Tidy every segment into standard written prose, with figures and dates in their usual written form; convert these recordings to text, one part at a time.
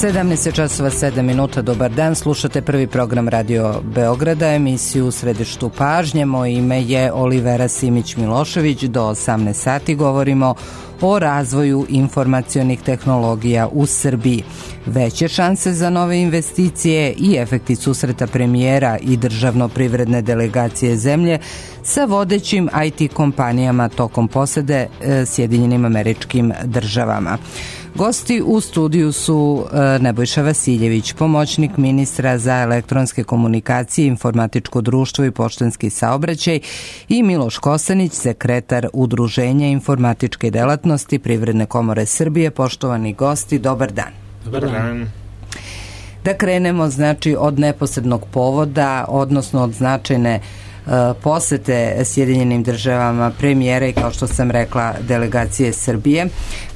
17:07. Dobar dan, slušate prvi program Radio Beograda, emisiju U središtu pažnje. Moje ime je Olivera Simić-Milošević. Do 18 sati govorimo o razvoju informacionih tehnologija u Srbiji. Veće šanse za nove investicije i efekti susreta premijera i državno-privredne delegacije zemlje sa vodećim IT kompanijama tokom posete Sjedinjenim Američkim Državama. Gosti u studiju su Nebojša Vasiljević, pomoćnik ministra za elektronske komunikacije, informatičko društvo i poštanski saobraćaj, i Miloš Kosanić, sekretar Udruženja informatičke delatnosti Privredne komore Srbije. Poštovani gosti, dobar dan. Dobar dan. Da krenemo od neposrednog povoda, odnosno od značajne posete Sjedinjenim Državama premijera i, kao što sam rekla, delegacije Srbije.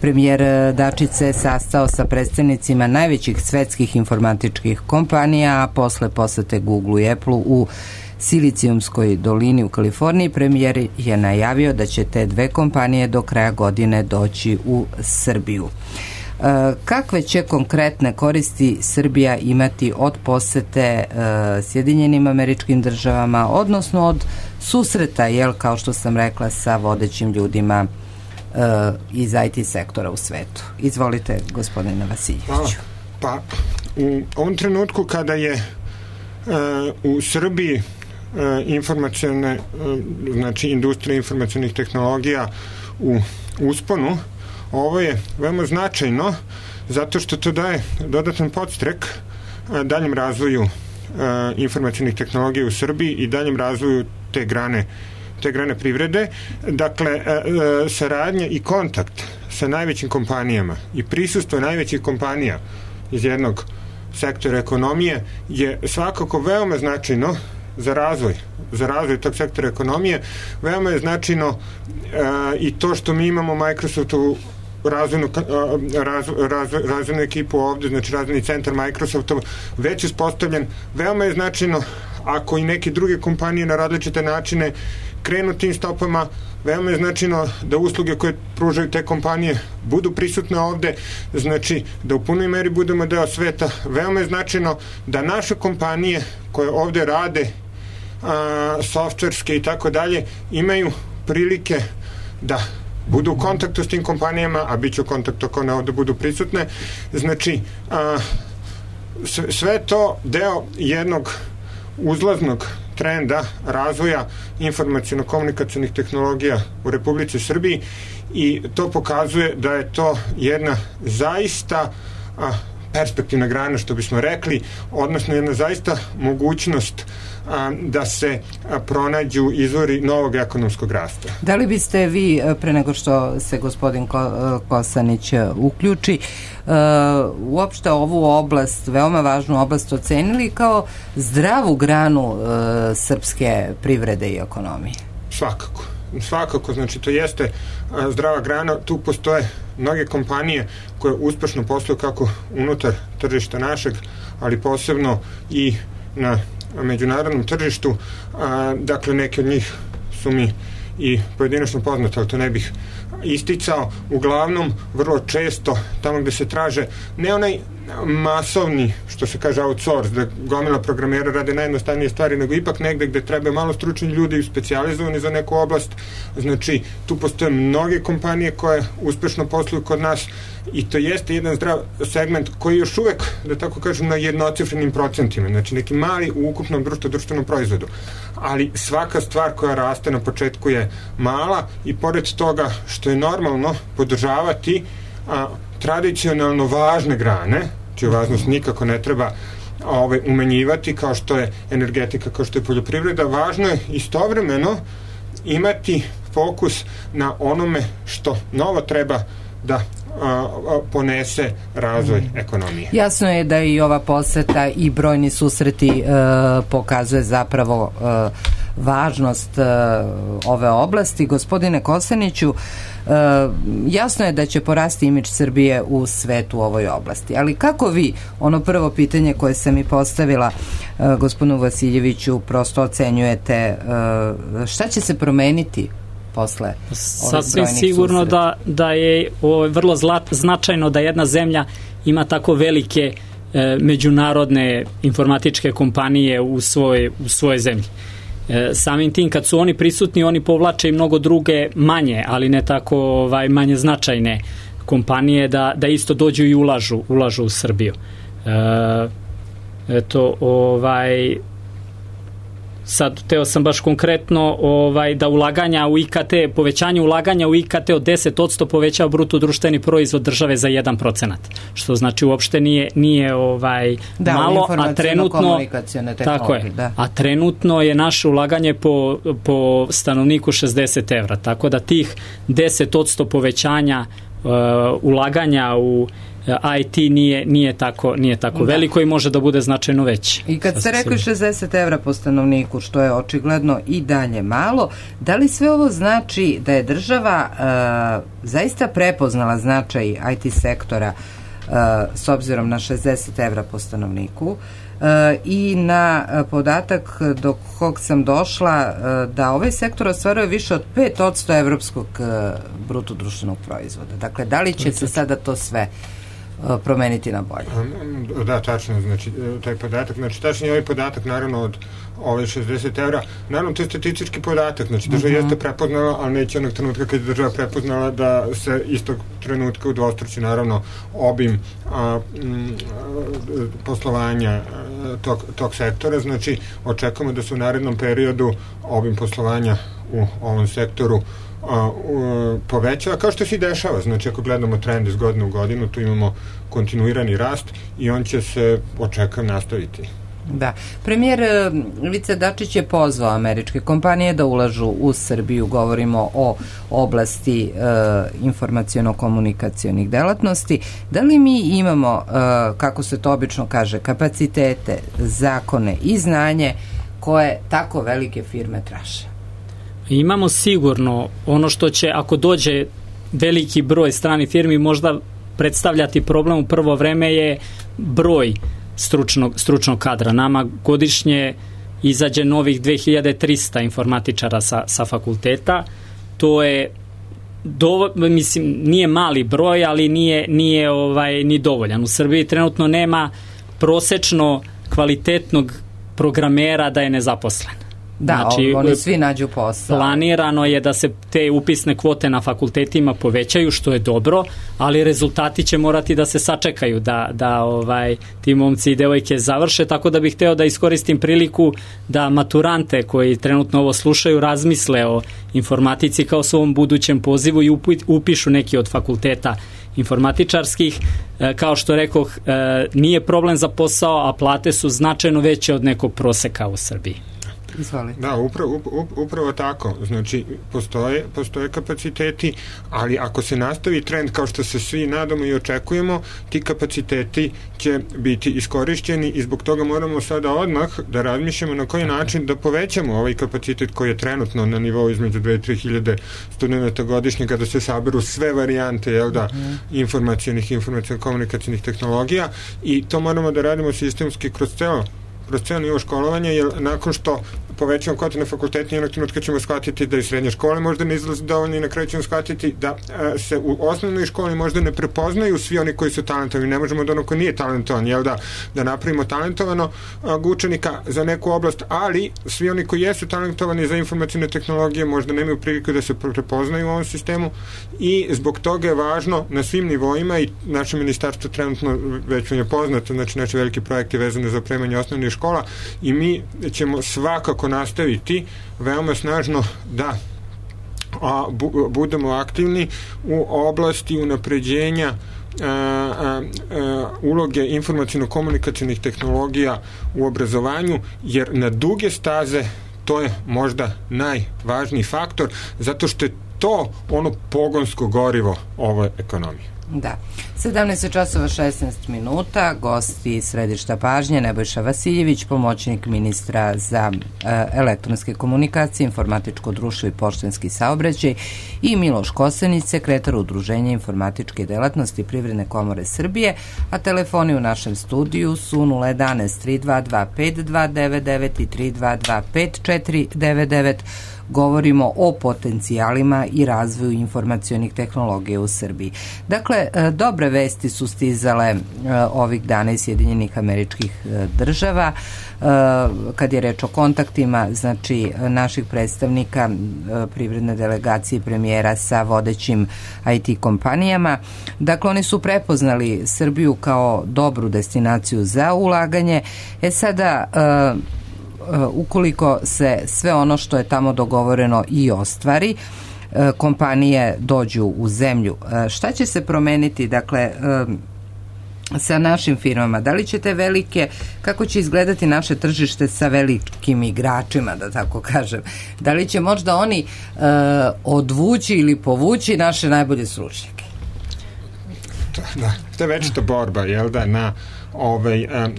Premijer Dačić se sastao sa predstavnicima najvećih svetskih informatičkih kompanija, a posle posete Google i Apple u Silicijumskoj dolini u Kaliforniji, premijer je najavio da će te dve kompanije do kraja godine doći u Srbiju. Kakve će konkretne koristi Srbija imati od posete Sjedinjenim Američkim Državama, odnosno od susreta, kao što sam rekla, sa vodećim ljudima iz IT sektora u svetu? Izvolite, gospodine Vasiljeviću. Pa, u ovom trenutku kada je u Srbiji informacione, znači industrija informacionih tehnologija u usponu, ovo je veoma značajno zato što to daje dodatan podstrek daljem razvoju informacionih tehnologija u Srbiji i daljem razvoju te grane privrede. Dakle, saradnja i kontakt sa najvećim kompanijama i prisustvo najvećih kompanija iz jednog sektora ekonomije je svakako veoma značajno za razvoj tog sektora ekonomije. Veoma je značajno i to što mi imamo Microsoftu razvojnu ekipu ovde, znači razvojni centar Microsoftov već uspostavljen. Veoma je značajno ako i neke druge kompanije na različite načine krenu tim stopama. Veoma je značajno da usluge koje pružaju te kompanije budu prisutne ovde, znači da u punoj meri budemo deo sveta. Veoma je značajno da naše kompanije koje ovde rade softverske i tako dalje imaju prilike da budu u kontaktu s tim kompanijama, a bit će u kontaktu ako one ovde budu prisutne. Znači, sve to deo jednog uzlaznog trenda razvoja informaciono-komunikacionih tehnologija u Republici Srbiji i to pokazuje da je to jedna zaista perspektivna grana, što bismo rekli, odnosno jedna zaista mogućnost da se pronađu izvori novog ekonomskog rasta. Da li biste vi, pre nego što se gospodin Kosanić uključi, uopšte ovu oblast, veoma važnu oblast, ocenili kao zdravu granu srpske privrede i ekonomije? Svakako, znači to jeste zdrava grana. Tu postoje mnoge kompanije koje uspešno posluju kako unutar tržišta našeg, ali posebno i na međunarodnom tržištu. Dakle, neke od njih su mi i pojedinačno poznate, ali to ne bih isticao. Uglavnom, vrlo često, tamo gde se traže ne onaj masovni, što se kaže outsource, da gomila programera rade najjednostavnije stvari, nego ipak negde gde treba malo stručni ljudi specijalizovani za neku oblast. Znači, tu postoje mnoge kompanije koje uspešno posluju kod nas i to jeste jedan zdrav segment koji još uvek, da tako kažem, na jednocifrenim procentima, znači neki mali u ukupnom društvenom proizvodu. Ali svaka stvar koja raste na početku je mala i pored toga što je normalno podržavati tradicionalno važne grane, čiju važnost nikako ne treba umanjivati, kao što je energetika, kao što je poljoprivreda, važno je istovremeno imati fokus na onome što novo treba da ponese razvoj ekonomije. Jasno je da i ova poseta i brojni susreti pokazuje zapravo važnost ove oblasti. Gospodine Kosaniću, jasno je da će porasti imidž Srbije u svetu u ovoj oblasti, ali kako vi, ono prvo pitanje koje sam i postavila gospodinu Vasiljeviću, prosto ocenjujete šta će se promeniti posle ovih sasvim sigurno susreta? da je vrlo značajno da jedna zemlja ima tako velike međunarodne informatičke kompanije u svojoj zemlji. Samim tim kad su oni prisutni, oni povlače i mnogo druge manje, ali ne tako manje značajne kompanije da isto dođu i ulažu u Srbiju. Sad teo sam baš konkretno da ulaganja u IKT, povećanje ulaganja u IKT od 10% povećava bruto društveni proizvod države za 1%, što znači uopšte nije malo, a trenutno tako je, a trenutno je naše ulaganje po stanovniku 60 evra, tako da tih 10% povećanja ulaganja u IT nije tako veliko i može da bude značajno veće. I kad ste rekli 60 evra po stanovniku, što je očigledno i dalje malo, da li sve ovo znači da je država zaista prepoznala značaj IT sektora s obzirom na 60 evra po stanovniku i na podatak do kog sam došla da ovaj sektor ostvaruje više od 5% evropskog bruto društvenog proizvoda. Dakle, da li će se sada to sve promeniti na bolje? Da, tačno, znači taj podatak, znači tačno je ovaj podatak naravno od ove 60 evra, naravno to je statistički podatak, znači država jeste prepoznala, ali neće onog trenutka kad je država prepoznala da se istog trenutka udvostruči naravno obim poslovanja tog sektora, znači očekujemo da se u narednom periodu obim poslovanja u ovom sektoru povećava, kao što se i dešava, znači ako gledamo trend iz godine u godinu, tu imamo kontinuirani rast i on će se očekujem nastaviti. Da. Premijer Ivica Dačić je pozvao američke kompanije da ulažu u Srbiju, govorimo o oblasti informaciono-komunikacionih delatnosti. Da li mi imamo, kako se to obično kaže, kapacitete, zakone i znanje koje tako velike firme traže? Imamo sigurno ono što će, ako dođe veliki broj stranih firmi, možda predstavljati problem u prvo vreme je broj stručnog kadra. Nama godišnje izađe novih 2300 informatičara sa fakulteta. To je mislim, nije mali broj, ali nije ni dovoljan. U Srbiji trenutno nema prosečno kvalitetnog programera da je nezaposlen. Da, znači, oni svi nađu posao. Planirano je da se te upisne kvote na fakultetima povećaju, što je dobro, ali rezultati će morati da se sačekaju, da ti momci i devojke završe, tako da bih hteo da iskoristim priliku da maturante koji trenutno ovo slušaju razmisle o informatici kao svom budućem pozivu i upišu neki od fakulteta informatičarskih. Kao što rekoh, nije problem za posao, a plate su značajno veće od nekog proseka u Srbiji. Izvolite. Da, upravo tako. Znači, postoje kapaciteti, ali ako se nastavi trend kao što se svi nadamo i očekujemo, ti kapaciteti će biti iskorišćeni i zbog toga moramo sada odmah da razmišljamo na koji način da povećamo ovaj kapacitet koji je trenutno na nivou između 2-3 hiljade studenta godišnje kada se saberu sve varijante informaciono-komunikacionih tehnologija i to moramo da radimo sistemski kroz ceo nivo školovanja, jer nakon što povećamo kvote na fakultetu, jednog trenutka ćemo shvatiti da i srednje škole možda ne izlazi dovoljno i na kraju ćemo shvatiti da se u osnovnoj školi možda ne prepoznaju svi oni koji su talentovani. Ne možemo da ono ko nije talentovan, da napravimo talentovanog učenika za neku oblast, ali svi oni koji jesu talentovani za informacione tehnologije možda nemaju priliku da se prepoznaju u ovom sistemu i zbog toga je važno na svim nivoima i naše ministarstvo trenutno već vam je poznato, znači naši veliki projekti vezane za opremanje osnovnih škola i mi ćemo svakako nastaviti veoma snažno da budemo aktivni u oblasti unapređenja uloge informaciono-komunikacionih tehnologija u obrazovanju, jer na duge staze to je možda najvažniji faktor, zato što je to ono pogonsko gorivo ove ekonomije. Da. 17 časova 16 minuta, gosti središta pažnje Nebojša Vasiljević, pomoćnik ministra za elektronske komunikacije, informatičko društvo i poštanski saobraćaj i Miloš Kosanić, sekretar Udruženja informatičke delatnosti Privredne komore Srbije, a telefoni u našem studiju su 011 3225 299 i 3225 499. govorimo o potencijalima i razvoju informacionih tehnologija u Srbiji. Dakle, dobre vesti su stizale ovih dana iz Sjedinjenih Američkih Država kad je reč o kontaktima, znači naših predstavnika privredne delegacije premijera sa vodećim IT kompanijama. Dakle, oni su prepoznali Srbiju kao dobru destinaciju za ulaganje. Sada, ukoliko se sve ono što je tamo dogovoreno i ostvari, kompanije dođu u zemlju, šta će se promeniti, dakle, sa našim firmama? Da li će te velike, kako će izgledati naše tržište sa velikim igračima, da tako kažem? Da li će možda oni odvući ili povući naše najbolje stručnjake? Da, to je večita borba, jel da, na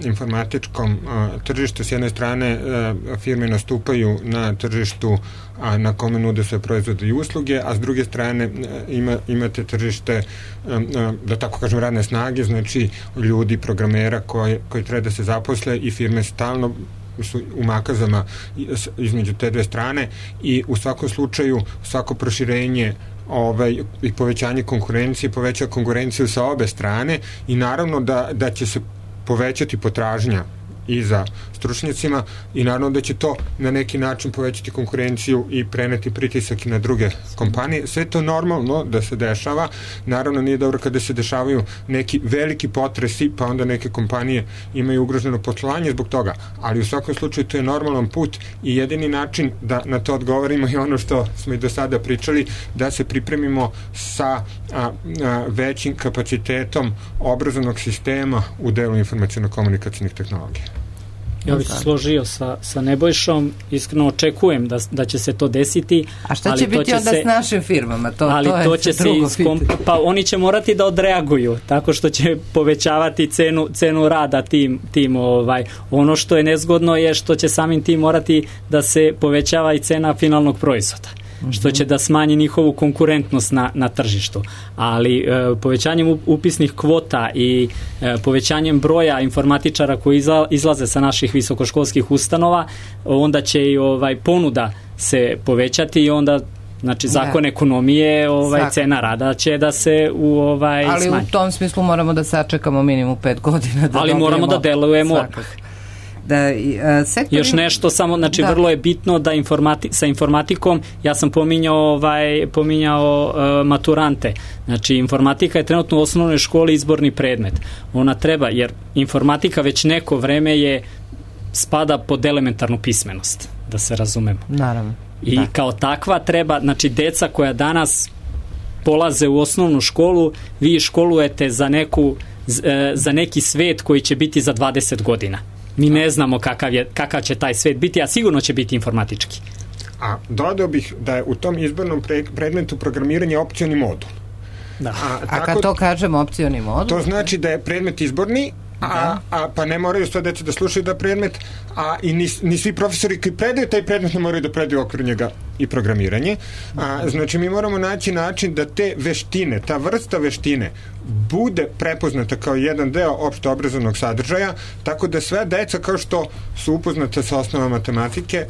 informatičkom tržištu. S jedne strane firme nastupaju na tržištu na kome nude sve proizvode i usluge, a s druge strane imate tržište, da tako kažem, radne snage, znači ljudi, programera koji treba da se zaposle, i firme stalno su u makazama između te dve strane, i u svakom slučaju svako proširenje i povećanje konkurencije poveća konkurenciju sa obe strane, i naravno da će se povećati potražnja i za stručnjacima, i naravno da će to na neki način povećati konkurenciju i preneti pritisak i na druge kompanije. Sve to normalno da se dešava. Naravno nije dobro kada se dešavaju neki veliki potresi, pa onda neke kompanije imaju ugroženo poslovanje zbog toga, ali u svakom slučaju to je normalan put, i jedini način da na to odgovorimo je ono što smo i do sada pričali, da se pripremimo sa većim kapacitetom obrazovnog sistema u delu informaciono-komunikacijnih tehnologija. Ja bih se složio sa Nebojšom, iskreno očekujem da će se to desiti. A šta će biti onda s našim firmama? To će se pa oni će morati da odreaguju tako što će povećavati cenu rada tim ono što je nezgodno je što će samim tim morati da se povećava i cena finalnog proizvoda, što će da smanji njihovu konkurentnost na tržištu. Ali povećanjem upisnih kvota i povećanjem broja informatičara koji izlaze sa naših visokoškolskih ustanova, onda će i ponuda se povećati, i onda znači zakon ekonomije, cena rada će da se smanji. Ali u tom smislu moramo da sačekamo minimum 5 godina. Ali moramo da delujemo. Još nešto samo, znači vrlo je bitno da sa informatikom, ja sam pominjao maturante, znači informatika je trenutno u osnovnoj školi izborni predmet, ona treba, jer informatika već neko vreme spada pod elementarnu pismenost, da se razumemo. Naravno. I kao takva treba, znači deca koja danas polaze u osnovnu školu, vi školujete za neki svet koji će biti za 20 godina. Mi ne znamo kakav će taj svet biti, a sigurno će biti informatički. A dodao bih da je u tom izbornom predmetu programiranje opcioni modul. Da. A kad to kažemo opcioni modul? To znači da je predmet izborni, pa ne moraju sva deca da slušaju da predmet, i ni svi profesori koji predaju taj predmet ne moraju da predaju okviru njega i programiranje. Znači mi moramo naći način da te veštine, ta vrsta veštine bude prepoznata kao jedan deo opšte obrazovnog sadržaja, tako da sve deca, kao što su upoznate sa osnovama matematike,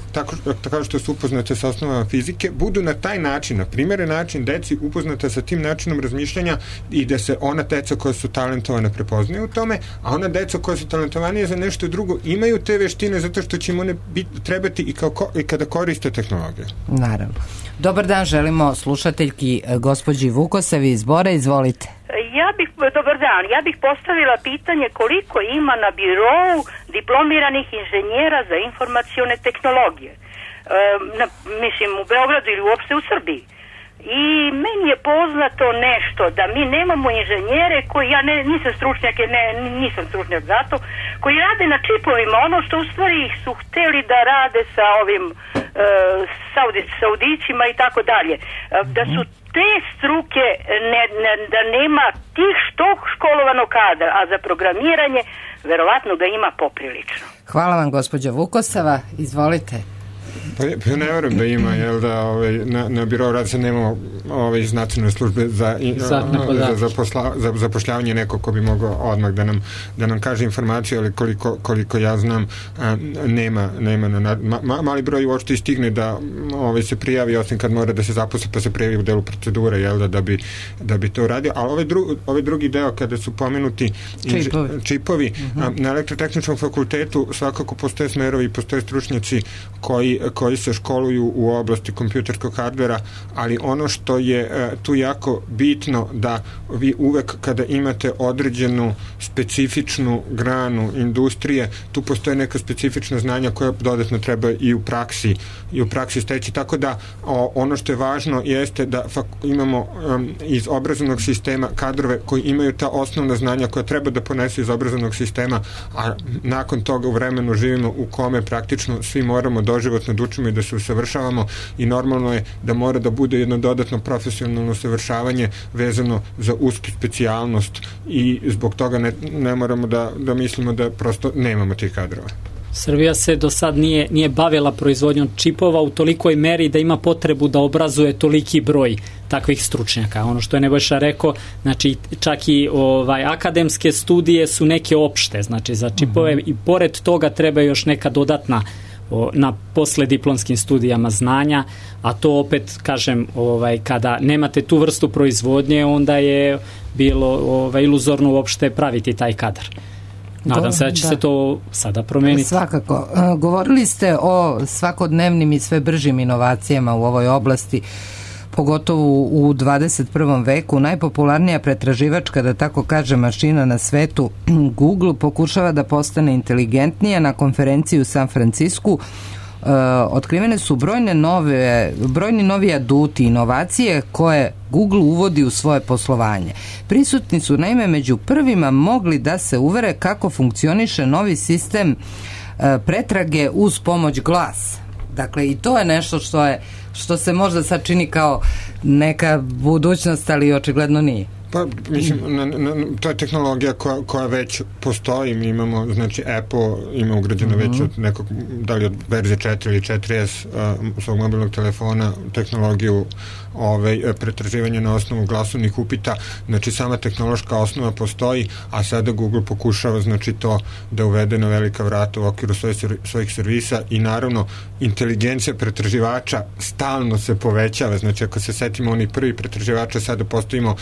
tako što su upoznate sa osnovama fizike, budu na taj način, na primjeren način, deci upoznate sa tim načinom razmišljanja, i da se ona deca koja su talentovane prepoznaju u tome, a ona deca koja su talentovanije za nešto drugo imaju te veštine zato što će im one trebati i kada koriste tehnologiju. Naravno. Dobar dan, želimo slušateljki gospođi Vukosavi iz Bora, izvolite. Dobar dan, ja bih postavila pitanje koliko ima na birou diplomiranih inženjera za informacione tehnologije. Mislim u Beogradu ili uopšte u Srbiji. I meni je poznato nešto da mi nemamo inženjere koji, ja nisam stručnjak za to, koji rade na čipovima, ono što u stvari su hteli da rade sa ovim Saudićima i tako dalje. Da su te struke, da nema tih školovanog kadra, a za programiranje verovatno da ima poprilično. Hvala vam, gospođa Vukosava, izvolite. Pa ne verujem da ima, jel da na birou rada se nemamo iz nacionalne službe za zapošljavanje nekog ko bi mogao odmah da nam kaže informaciju, ali koliko ja znam nema mali broj uopšte stigne da se prijavi, osim kad mora da se zaposli pa se prijavi u delu procedure, jel da bi to uradio, ali ovaj drugi deo kada su pomenuti čipovi na elektrotehničkom fakultetu svakako postoje smerovi i postoje stručnjaci koji se školuju u oblasti kompjuterskog hardvera, ali ono što je tu jako bitno da vi uvek kada imate određenu specifičnu granu industrije, tu postoje neka specifična znanja koja dodatno treba i u praksi steći, tako da ono što je važno jeste da imamo iz obrazovnog sistema kadrove koji imaju ta osnovna znanja koja treba da ponesu iz obrazovnog sistema, a nakon toga u vremenu živimo u kome praktično svi moramo doživotno da učimo i da se usavršavamo i normalno je da mora da bude jedno dodatno profesionalno usavršavanje vezano za usku specijalnost i zbog toga ne moramo da mislimo da prosto nemamo tih kadrova. Srbija se do sad nije bavila proizvodnjom čipova u tolikoj meri da ima potrebu da obrazuje toliki broj takvih stručnjaka. Ono što je Nebojša rekao, znači čak i akademske studije su neke opšte, znači za čipove i pored toga treba još neka dodatna na poslediplomskim studijama znanja, a to opet kažem, kada nemate tu vrstu proizvodnje, onda je bilo iluzorno uopšte praviti taj kadar. Nadam se da će se to sada promeniti. Svakako. Govorili ste o svakodnevnim i sve bržim inovacijama u ovoj oblasti, pogotovo u 21. veku. Najpopularnija pretraživačka, da tako kaže, mašina na svetu, Google, pokušava da postane inteligentnija. Na konferenciji u San Francisku otkrivene su brojni novi aduti, inovacije koje Google uvodi u svoje poslovanje. Prisutni su naime među prvima mogli da se uvere kako funkcioniše novi sistem pretrage uz pomoć glasa. Dakle, i to je nešto što se možda sad čini kao neka budućnost, ali očigledno nije. Pa, mislim, to je tehnologija koja već postoji. Mi imamo, znači, Apple ima ugrađeno već od nekog, da li od verzije 4 ili 4S svog mobilnog telefona, tehnologiju pretraživanja na osnovu glasovnih upita. Znači, sama tehnološka osnova postoji, a sada Google pokušava, znači, to da uvede na velika vrata u okviru svojih servisa i naravno inteligencija pretraživača stalno se povećava. Znači, ako se setimo onih prvih pretraživača, sada postavimo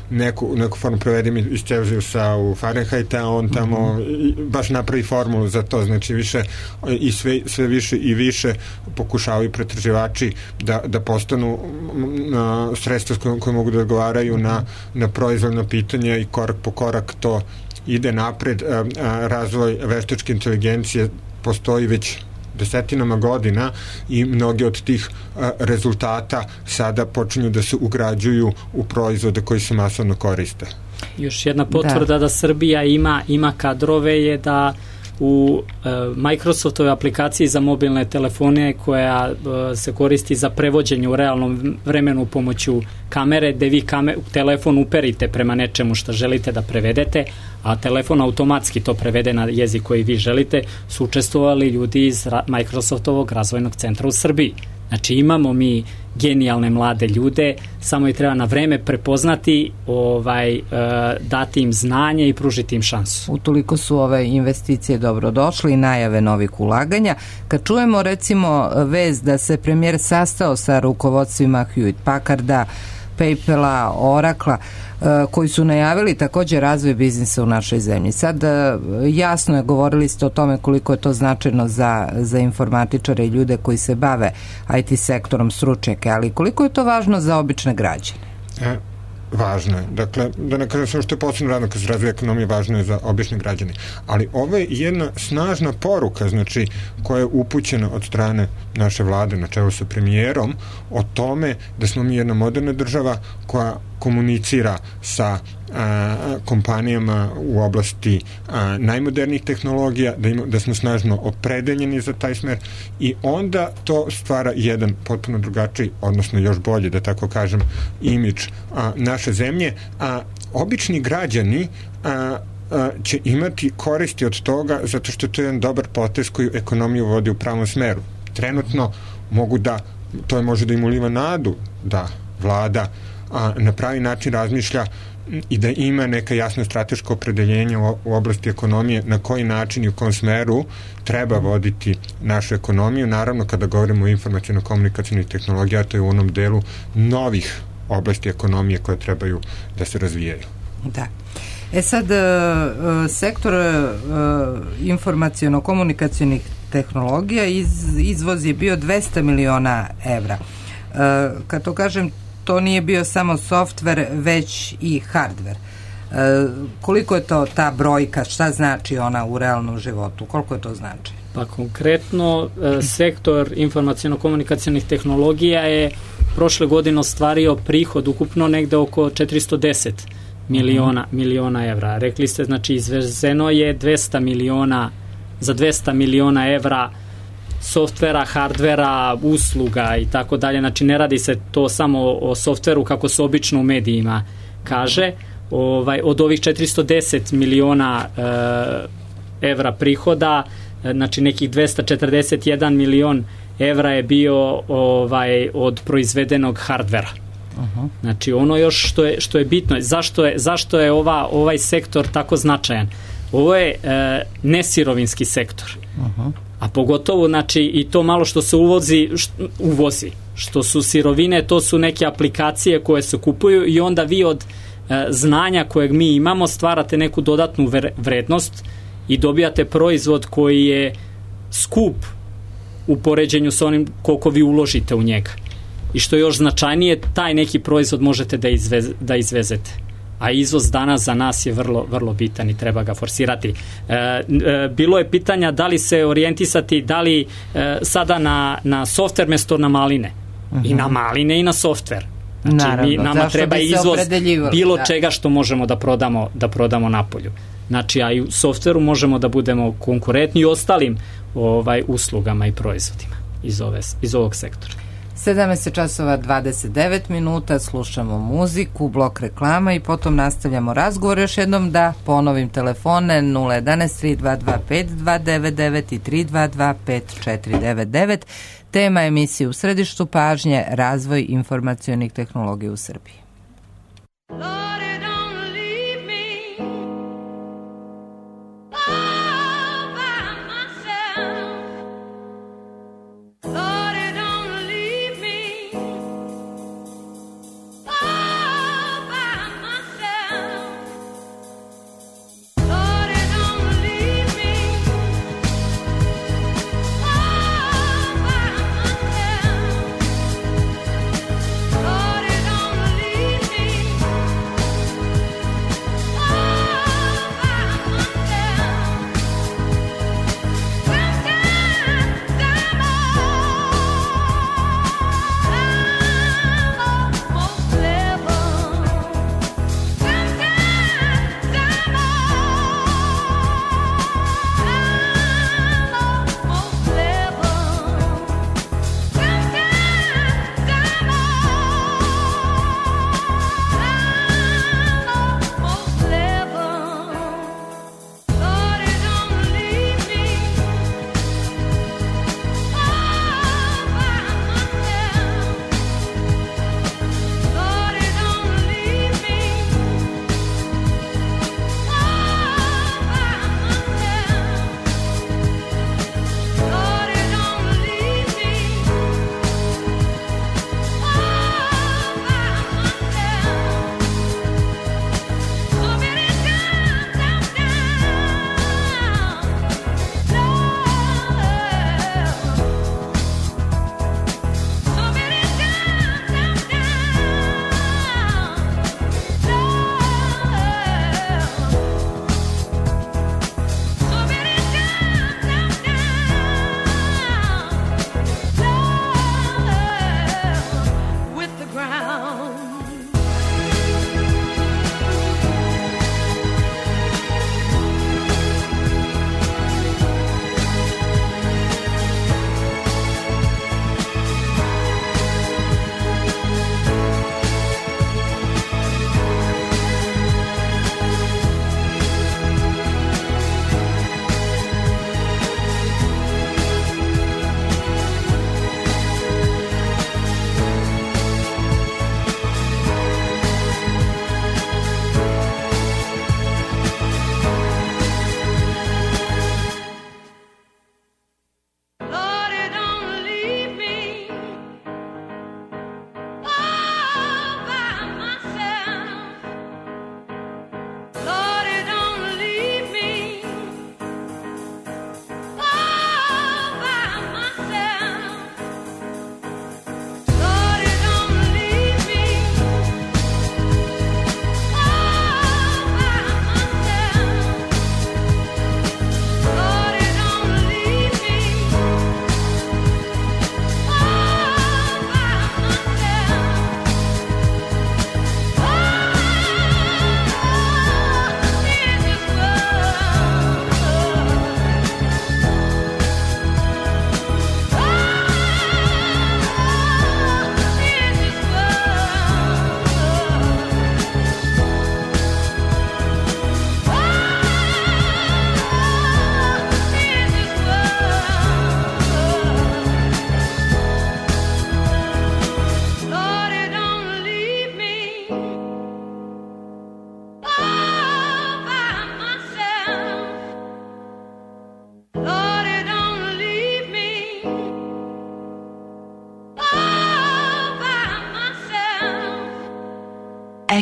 neku formu, prevedimo iz Celzijusa u Fahrenheita, a on tamo baš napravi formulu za to. Znači, više i sve više i više pokušavaju pretraživači da postanu sredstva koje mogu da odgovaraju na proizvoljno pitanje i korak po korak to ide napred. Razvoj veštačke inteligencije postoji već desetinama godina i mnogi od tih rezultata sada počinju da se ugrađuju u proizvode koji se masovno koriste. Još jedna potvrda da Srbija ima kadrove je da u Microsoftovoj aplikaciji za mobilne telefone koja se koristi za prevođenje u realnom vremenu pomoću kamere, gde vi telefon uperite prema nečemu što želite da prevedete, a telefon automatski to prevede na jezik koji vi želite, su učestvovali ljudi iz Microsoftovog razvojnog centra u Srbiji. Znači, imamo mi genijalne mlade ljude, samo ih treba na vreme prepoznati, dati im znanje i pružiti im šansu. Utoliko su ove investicije dobro došle i najave novih ulaganja. Kad čujemo recimo vez da se premijer sastao sa rukovodstvima Hewlett-Packarda, PayPala, Oracla, koji su najavili također razvoj biznisa u našoj zemlji. Sad jasno je, govorili ste o tome koliko je to značajno za informatičare i ljude koji se bave IT sektorom, stručnjake, ali koliko je to važno za obične građane? Važno je. Dakle, da ne kažem što je posebno radno kad se razvija ekonomija, važno je za obične građane. Ali ovo je jedna snažna poruka, znači, koja je upućena od strane naše vlade na čelu sa premijerom o tome da smo mi jedna moderna država koja komunicira sa kompanijama u oblasti najmodernijih tehnologija, da smo snažno opredeljeni za taj smer i onda to stvara jedan potpuno drugačiji, odnosno još bolji, da tako kažem, imidž naše zemlje, a obični građani će imati koristi od toga zato što to je jedan dobar potez koji ekonomiju vodi u pravom smeru. trenutno to može da im uliva nadu da vlada na pravi način razmišlja i da ima neka jasno strateško opredeljenje u oblasti ekonomije, na koji način i u kom smeru treba voditi našu ekonomiju. Naravno, kada govorimo o informaciono-komunikacijnih tehnologija, to je u onom delu novih oblasti ekonomije koje trebaju da se razvijaju. Da. Sad, sektor informaciono-komunikacijnih tehnologija izvoz je bio 200 miliona evra. Kad to kažem, to nije bio samo softver, već i hardver. Koliko je to ta brojka, šta znači ona u realnom životu, koliko je to znači? Pa konkretno, sektor informaciono-komunikacijnih tehnologija je prošle godine ostvario prihod ukupno negde oko 410 miliona evra. Rekli ste, znači izvezeno je 200 miliona evra softvera, hardvera, usluga i tako dalje. Znači ne radi se to samo o softveru kako se obično u medijima kaže. Od ovih 410 miliona evra prihoda, znači nekih 241 milion evra je bio od proizvedenog hardvera. Znači ono još što je bitno, zašto je ovaj sektor tako značajan? Ovo je nesirovinski sektor. A pogotovo, znači, i to malo što se uvozi, što su sirovine, to su neke aplikacije koje se kupuju i onda vi od znanja kojeg mi imamo stvarate neku dodatnu vrednost i dobijate proizvod koji je skup u poređenju sa onim koliko vi uložite u njega. I što je još značajnije, taj neki proizvod možete da izvezete. A izvoz danas za nas je vrlo, vrlo bitan i treba ga forsirati. Bilo je pitanja da li se orijentisati, da li sada na softver mesto na maline. I na maline i na softver. Znači, naravno, nama treba izvoz bilo čega što možemo da prodamo napolju. Znači, a i u softveru možemo da budemo konkurentni i ostalim uslugama i proizvodima iz ovog sektora. 17 časova 29 minuta, slušamo muziku, blok reklama i potom nastavljamo razgovor. Još jednom da ponovim telefone 011 3225 299 i 322 5499. Tema emisije u središtu pažnje, razvoj informacionih tehnologija u Srbiji.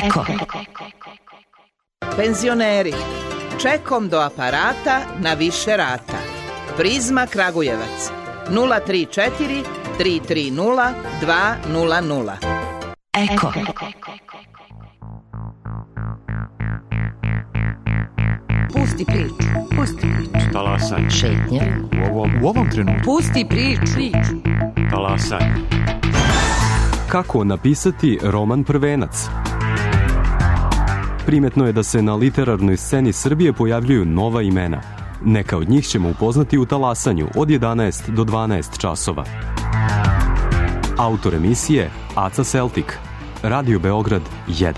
Eko. Penzioneri, čekom do aparata na više rata. Prizma Kragujevac 034 330 200. Eko. Pusti priču, pusti priču. Talasaj. Šetnja. U ovom trenutku. Pusti priču. Talasaj. Kako napisati roman Prvenac? Primetno je da se na literarnoj sceni Srbije pojavljuju nova imena. Neka od njih ćemo upoznati u Talasanju od 11 do 12 časova. Autor emisije Aca Celtic. Radio Beograd 1.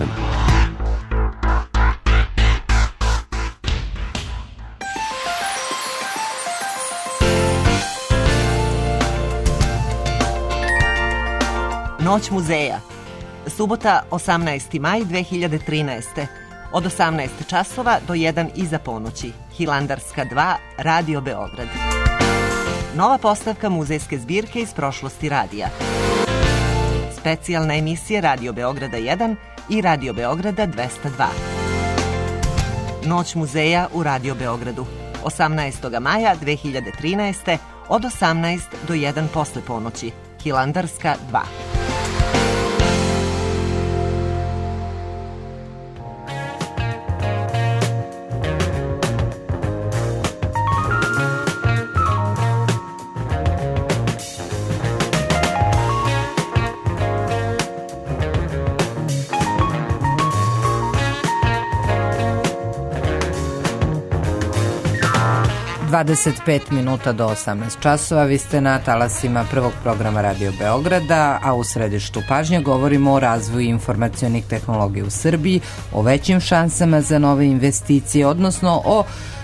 Noć muzeja. Subota 18. maj 2013. Od 18 časova do 1 iza ponoći. Hilandarska 2, Radio Beograd. Nova postavka muzejske zbirke iz prošlosti radija. Specijalna emisija Radio Beograda 1 i Radio Beograda 202. Noć muzeja u Radio Beogradu. 18. maja 2013. od 18 do 1 posle ponoći. Hilandarska 2. Minuta do 18 časova, vi ste na talasima prvog programa Radio Beograda, a u središtu pažnje govorimo o razvoju informacionih tehnologija u Srbiji, o većim šansama za nove investicije, odnosno o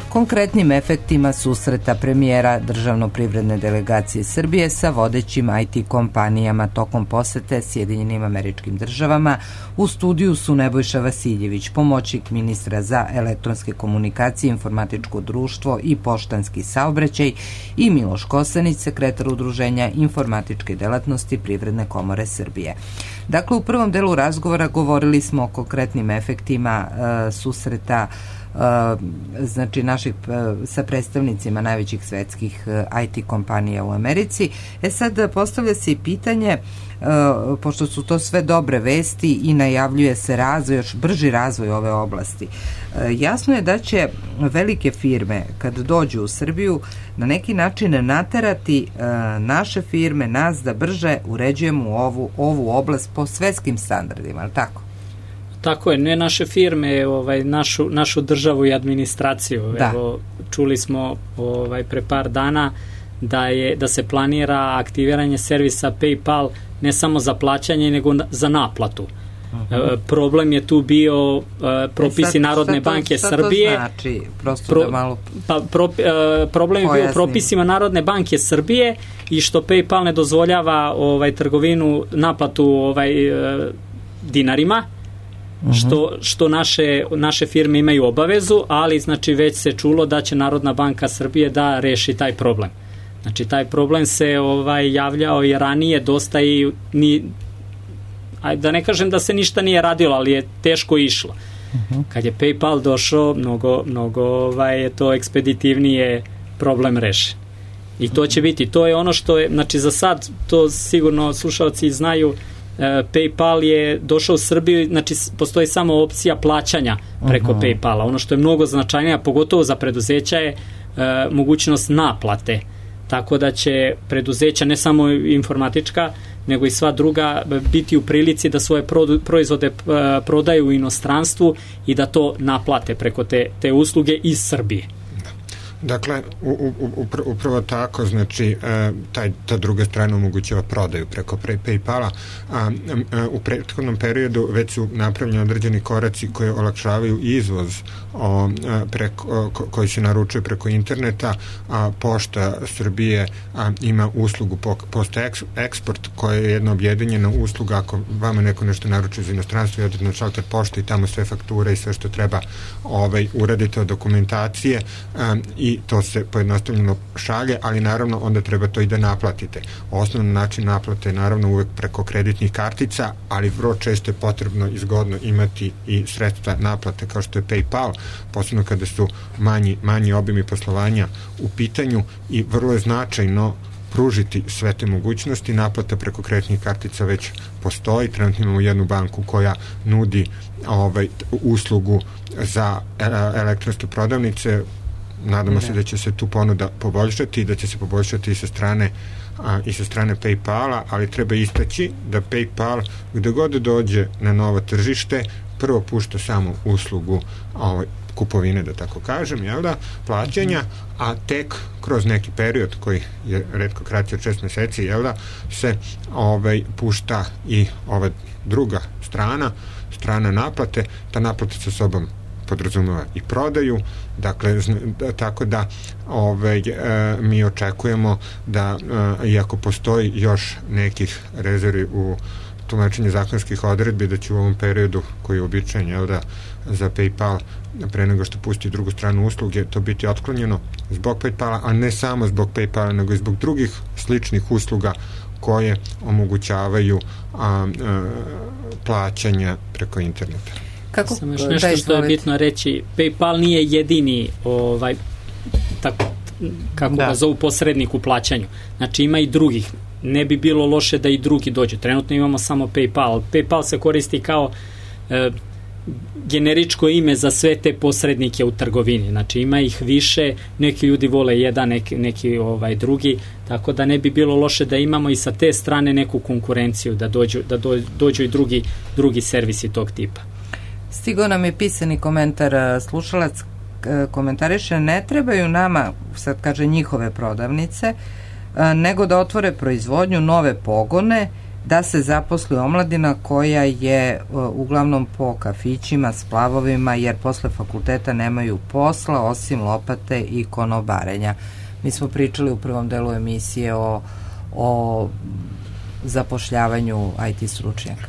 konkretnim efektima susreta premijera državno-privredne delegacije Srbije sa vodećim IT kompanijama tokom posete Sjedinjenim Američkim Državama. U studiju su Nebojša Vasiljević, pomoćnik ministra za elektronske komunikacije, informatičko društvo i poštanski saobraćaj, i Miloš Kosanić, sekretar Udruženja informatičke delatnosti Privredne komore Srbije. Dakle, u prvom delu razgovora govorili smo o konkretnim efektima susreta znači naših sa predstavnicima najvećih svetskih IT kompanija u Americi. Sad postavlja se i pitanje, pošto su to sve dobre vesti i najavljuje se razvoj, još brži razvoj ove oblasti. Jasno je da će velike firme kad dođu u Srbiju na neki način naterati naše firme, nas, da brže uređujemo ovu oblast po svetskim standardima, ali tako? Tako je, ne naše firme, našu državu i administraciju. Da. Evo, čuli smo pre par dana da se planira aktiviranje servisa PayPal ne samo za plaćanje, nego za naplatu. Problem je tu bio propisi Narodne banke Srbije. Šta to znači? Prosto da malo... Problem je bio propisima Narodne banke Srbije i što PayPal ne dozvoljava trgovinu, naplatu dinarima, što naše firme imaju obavezu, ali znači već se čulo da će Narodna banka Srbije da reši taj problem. Znači taj problem se javljao i ranije dosta i da ne kažem da se ništa nije radilo, ali je teško išlo. Kad je PayPal došao, mnogo je to ekspeditivnije problem rešen. I to će biti, to je ono što je, znači za sad, to sigurno slušalci znaju, PayPal je došao u Srbiju, znači postoji samo opcija plaćanja preko PayPala. Ono što je mnogo značajnije, pogotovo za preduzeća, je mogućnost naplate. Tako da će preduzeća, ne samo informatička, nego i sva druga, biti u prilici da svoje proizvode prodaju u inostranstvu i da to naplate preko te usluge iz Srbije. Dakle, upravo tako, znači, ta druga strana omogućava prodaju preko PayPala. U prethodnom periodu već su napravljeni određeni koraci koji olakšavaju izvoz koji se naručuje preko interneta, a Pošta Srbije ima uslugu Post Export, koja je jedna objedinjena usluga. Ako vama neko nešto naručuje za inostranstvo, i odete na šalter pošte i tamo sve fakture i sve što treba uradite od dokumentacije i i to se pojednostavljeno šalje, ali naravno onda treba to i da naplatite. Osnovni način naplate je naravno uvek preko kreditnih kartica, ali vrlo često je potrebno i zgodno imati i sredstva naplate kao što je PayPal, posebno kada su manji obimi poslovanja u pitanju, i vrlo je značajno pružiti sve te mogućnosti. Naplata preko kreditnih kartica već postoji. Trenutno imamo jednu banku koja nudi uslugu za elektronske prodavnice. Nadamo se da će se tu ponuda poboljšati i da će se poboljšati i sa strane PayPala, ali treba istaći da PayPal gde god dođe na novo tržište prvo pušta samo uslugu kupovine, da tako kažem, jel da, plaćanja, a tek kroz neki period koji je retko kraći od 6 meseci, jel da, se pušta i ova druga strana naplate. Ta naplata sa sobom podrazumeva i prodaju, dakle, tako da mi očekujemo da, iako postoji još nekih rezervi u tumačenju zakonskih odredbi, da će u ovom periodu koji je uobičajen, jel da, za PayPal, pre nego što pusti drugu stranu usluge, to biti otklonjeno zbog PayPala, a ne samo zbog PayPala, nego i zbog drugih sličnih usluga koje omogućavaju plaćanja preko interneta. Samo još nešto što je bitno reći, PayPal nije jedini kako ga zovu posrednik u plaćanju. Znači ima i drugih. Ne bi bilo loše da i drugi dođu. Trenutno imamo samo PayPal. PayPal se koristi kao generičko ime za sve te posrednike u trgovini. Znači ima ih više, neki ljudi vole jedan, neki drugi, tako da ne bi bilo loše da imamo i sa te strane neku konkurenciju, da dođu i drugi servisi tog tipa. Stigao nam je pisani komentar, slušalac komentariše: ne trebaju nama, sad kaže, njihove prodavnice, nego da otvore proizvodnju, nove pogone, da se zaposli omladina koja je uglavnom po kafićima, splavovima, jer posle fakulteta nemaju posla osim lopate i konobarenja. Mi smo pričali u prvom delu emisije o zapošljavanju IT stručnjaka.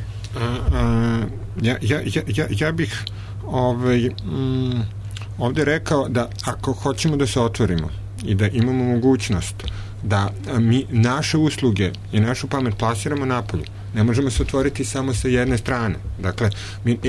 Ja bih ovde rekao da ako hoćemo da se otvorimo i da imamo mogućnost da mi naše usluge i našu pamet plasiramo napolju, ne možemo se otvoriti samo sa jedne strane. Dakle,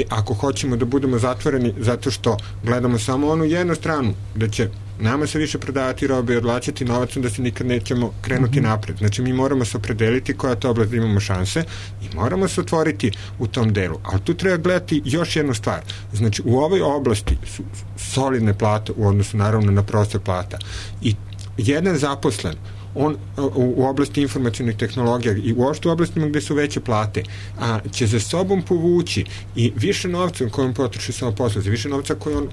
ako hoćemo da budemo zatvoreni zato što gledamo samo onu jednu stranu, da će nama se više prodavati robe i odlačiti novac, da se nikad nećemo krenuti napred. Znači, mi moramo se opredeliti koja to oblast da imamo šanse i moramo se otvoriti u tom delu. Ali tu treba gledati još jednu stvar. Znači, u ovoj oblasti su solidne plate u odnosu naravno na prosek plata. I jedan zaposlen, on u oblasti informacionih tehnologija i uopšte u oblastima gde su veće plate, će za sobom povući i više novca kojom potroši samo posao, više novca koji on,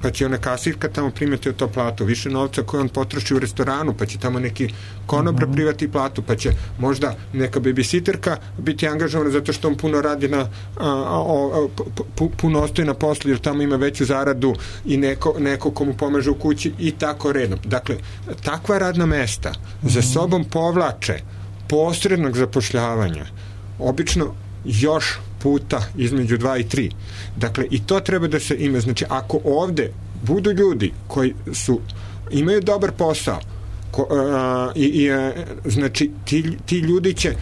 pa će ona kasirka tamo primati od to platu, više novca koji on potroši u restoranu, pa će tamo neki konobar privati platu, pa će možda neka babysitterka biti angažovana zato što on puno radi puno ostaje na poslu jer tamo ima veću zaradu i neko komu pomaže u kući i tako redom. Dakle, takva radna mesta za sobom povlače posrednog zapošljavanja obično još puta između 2 i 3. Dakle, i to treba da se ima. Znači, ako ovde budu ljudi koji imaju dobar posao, znači, ti ljudi će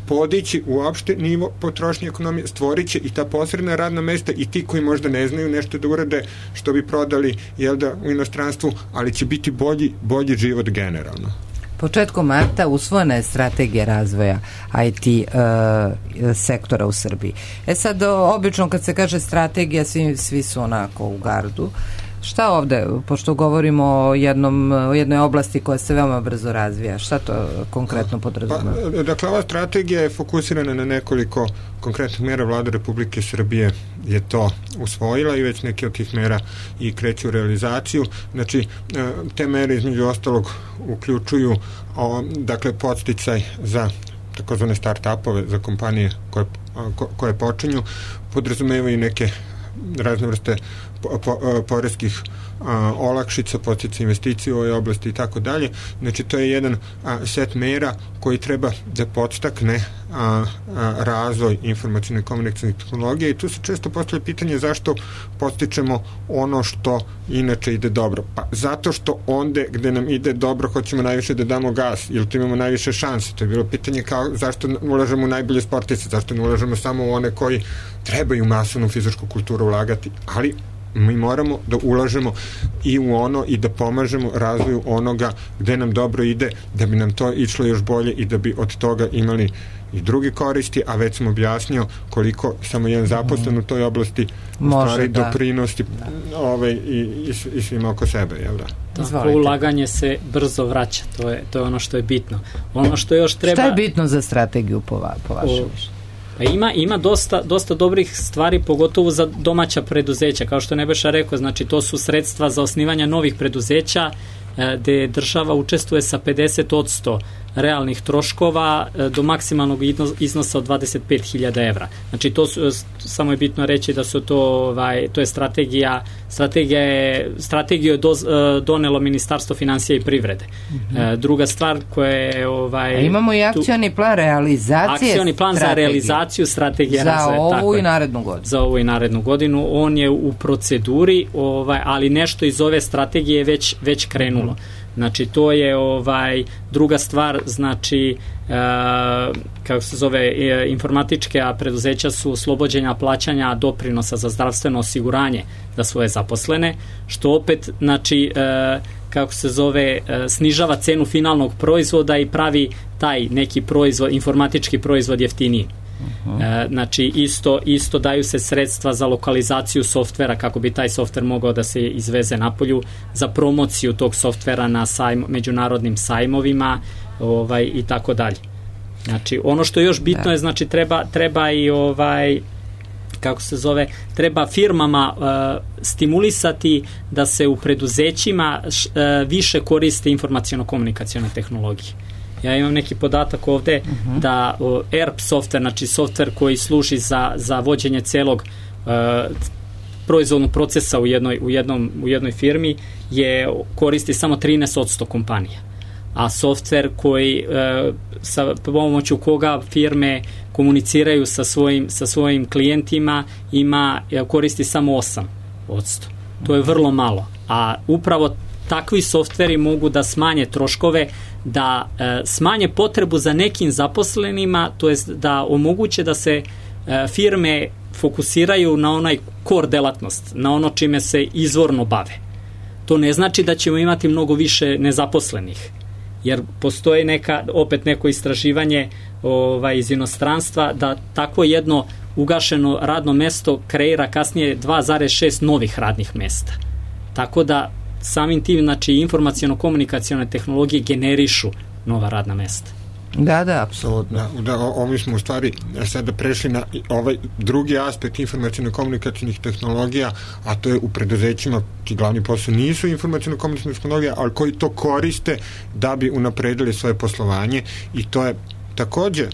podići uopšte nivo potrošnje ekonomije, stvorit će i ta posredna radna mesta i ti koji možda ne znaju nešto da urade što bi prodali, jel da, u inostranstvu, ali će biti bolji život generalno. Početkom marta usvojena je strategija razvoja IT sektora u Srbiji. Sad, obično kad se kaže strategija, svi su onako u gardu. Šta ovde, pošto govorimo o jednoj oblasti koja se veoma brzo razvija, šta to konkretno podrazumeva? Dakle, ova strategija je fokusirana na nekoliko konkretnih mera. Vlada Republike Srbije je to usvojila i već neke od tih mera i kreću u realizaciju. Znači, te mere između ostalog uključuju dakle, podsticaj za takozvane start-upove, za kompanije koje počinju, podrazumevaju neke razne vrste poreskih olakšica, podsticaj investicije u ovoj oblasti i tako dalje. Znači, to je jedan set mera koji treba da podstakne razvoj informacijne komunikacijne tehnologije i tu se često postavlja pitanje zašto postičemo ono što inače ide dobro. Pa zato što onde gde nam ide dobro hoćemo najviše da damo gas ili tu imamo najviše šanse. To je bilo pitanje kao zašto ulažemo u najbolje sportiste, zašto ne ulažemo samo u one koji trebaju masovnu fizičku kulturu ulagati, ali mi moramo da ulažemo i u ono i da pomažemo razvoju onoga gde nam dobro ide, da bi nam to išlo još bolje i da bi od toga imali i drugi koristi, a već sam objasnio koliko samo jedan zaposlen u toj oblasti stvari doprinosti i svima oko sebe, jel da? Tako, ulaganje se brzo vraća, to je ono što je bitno. Ono što još treba... Šta je bitno za strategiju po vašem? Ima dosta dobrih stvari, pogotovo za domaća preduzeća, kao što Nebojša rekao, znači to su sredstva za osnivanje novih preduzeća, gde država učestvuje sa 50% realnih troškova do maksimalnog iznosa od 25.000 evra. Znači to su, samo je bitno reći da su to je strategiju je donelo Ministarstvo finansija i privrede. Druga stvar koja je imamo i akcioni plan realizacije akcioni plan za realizaciju strategije razvoja. Za ovu i narednu godinu. Za ovu i narednu godinu. On je u proceduri, ali nešto iz ove strategije je već krenulo. Znači to je druga stvar, znači kako se zove, informatička preduzeća su oslobođenja plaćanja doprinosa za zdravstveno osiguranje za svoje zaposlene, što opet znači kako se zove, snižava cenu finalnog proizvoda i pravi taj neki proizvod, informatički proizvod jeftiniji. Znači isto daju se sredstva za lokalizaciju softvera kako bi taj softver mogao da se izveze napolju, za promociju tog softvera na međunarodnim sajmovima i tako dalje. Znači ono što je još bitno je, znači treba i kako se zove, treba firmama stimulisati da se u preduzećima više koriste informaciono-komunikacione tehnologije. Ja imam neki podatak ovde da ERP softver, znači softver koji služi za vođenje celog proizvodnog procesa u jednoj firmi koristi samo 13% kompanija. A softver koji sa pomoću koga firme komuniciraju sa svojim klijentima koristi samo 8%. To je vrlo malo. A upravo takvi softveri mogu da smanje troškove, da smanje potrebu za nekim zaposlenima, to jest da omoguće da se firme fokusiraju na onaj core delatnost, na ono čime se izvorno bave. To ne znači da ćemo imati mnogo više nezaposlenih, jer postoji neko istraživanje iz inostranstva da takvo jedno ugašeno radno mesto kreira kasnije 2,6 novih radnih mesta. Tako da samim tim, znači, informaciono-komunikacione tehnologije generišu nova radna mesta. Da, apsolutno. Ovi smo u stvari sada prešli na ovaj drugi aspekt informaciono-komunikacijnih tehnologija, a to je u preduzećima, ti glavni posao nisu informaciono-komunikacijne tehnologije, ali koji to koriste da bi unapredili svoje poslovanje, i to je takođe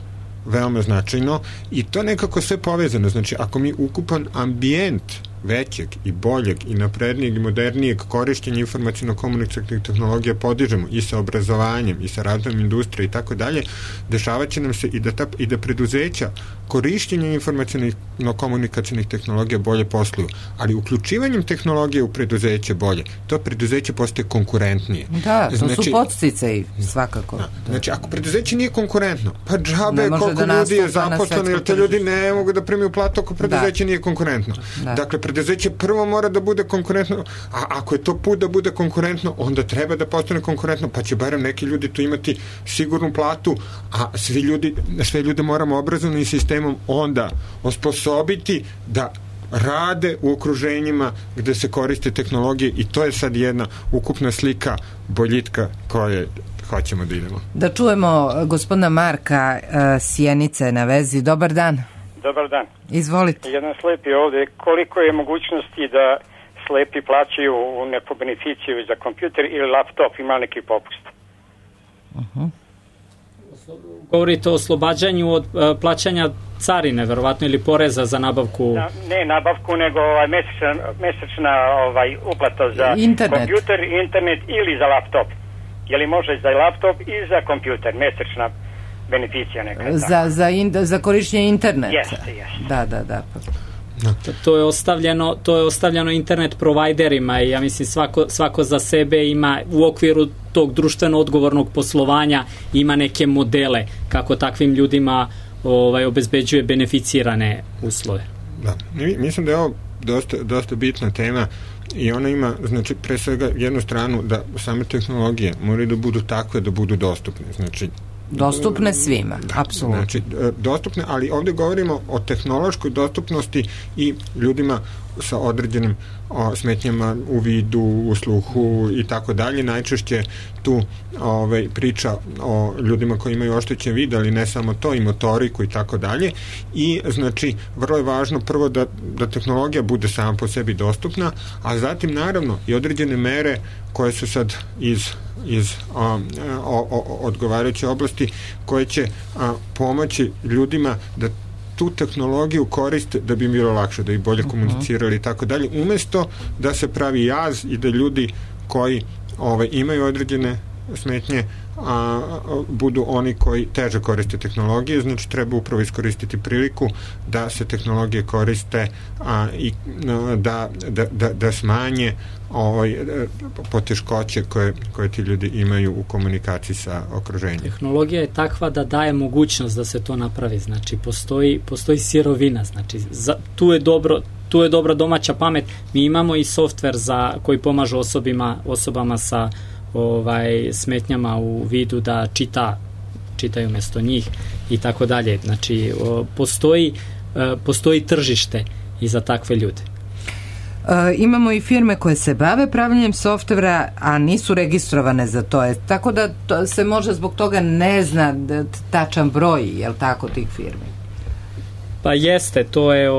veoma značajno i to nekako sve povezano. Znači, ako mi ukupan ambijent većeg i boljeg i naprednijeg i modernijeg korišćenja informacijno-komunikacijnih tehnologija podižemo i sa obrazovanjem i sa razvojem industrije i tako dalje, dešavat će nam se i da preduzeća korišćenjem informacijno-komunikacijnih tehnologija bolje posluju, ali uključivanjem tehnologije u preduzeće bolje, to preduzeće postaje konkurentnije. Da, to su podsticaji svakako. Znači, ako preduzeće nije konkurentno, pa džabe koliko ljudi je zaposleno, jer te ljudi ne mogu da primiju platu ako preduzeće nije konkurentno. Dakle, preduzeće prvo mora da bude konkurentno, a ako je to put da bude konkurentno, onda treba da postane konkurentno, pa će barem neki ljudi tu imati sigurnu platu, a sve ljude moramo obrazovnim sistemom onda osposobiti da rade u okruženjima gde se koriste tehnologije, i to je sad jedna ukupna slika boljitka koje hoćemo da idemo. Da čujemo gospodina Marka Sjenice na vezi. Dobar dan. Dobar dan. Izvolite. Jedan slepi ovde. Koliko je mogućnosti da slepi plaćaju neku beneficiju za kompjuter ili laptop, ima neki popust? Govorite o oslobađanju od plaćanja carine, verovatno, ili poreza za nabavku? Ne nabavku, nego mesečna uplata za kompjuter, internet ili za laptop. Je li može za laptop i za kompjuter, mesečna beneficija neka. Za korišćenje interneta. Jeste. Da. To je ostavljeno internet provajderima i ja mislim svako za sebe ima u okviru tog društveno odgovornog poslovanja ima neke modele kako takvim ljudima obezbeđuje beneficirane uslove. Da, mislim da je ovo dosta bitna tema i ona ima, znači, pre svega jednu stranu da same tehnologije moraju da budu takve da budu dostupne, znači dostupne svima, apsolutno. Znači, dostupne, ali ovdje govorimo o tehnološkoj dostupnosti i ljudima sa određenim smetnjama u vidu, u sluhu i tako dalje. Najčešće tu priča o ljudima koji imaju oštećen vid, ali ne samo to, i motoriku i tako dalje. I znači, vrlo je važno prvo da tehnologija bude sama po sebi dostupna, a zatim naravno i određene mere koje su sad iz odgovarajuće oblasti koje će pomoći ljudima da tu tehnologiju koriste da bi im bilo lakše, da bi bolje komunicirali i tako dalje, umesto da se pravi jaz i da ljudi koji imaju određene smetnje budu oni koji teže koriste tehnologije. Znači treba upravo iskoristiti priliku da se tehnologije koriste i da smanje poteškoće koje ti ljudi imaju u komunikaciji sa okruženjem. Tehnologija je takva da daje mogućnost da se to napravi, znači postoji sirovina, znači tu je dobra domaća pamet. Mi imamo i softver koji pomažu osobama sa smetnjama u vidu da čitaju umjesto njih i tako dalje. Znači postoji tržište i za takve ljude. Imamo i firme koje se bave pravljenjem softvera, a nisu registrovane za to. Tako da se možda zbog toga ne zna tačan broj, jel tako, tih firmi? Pa jeste, to je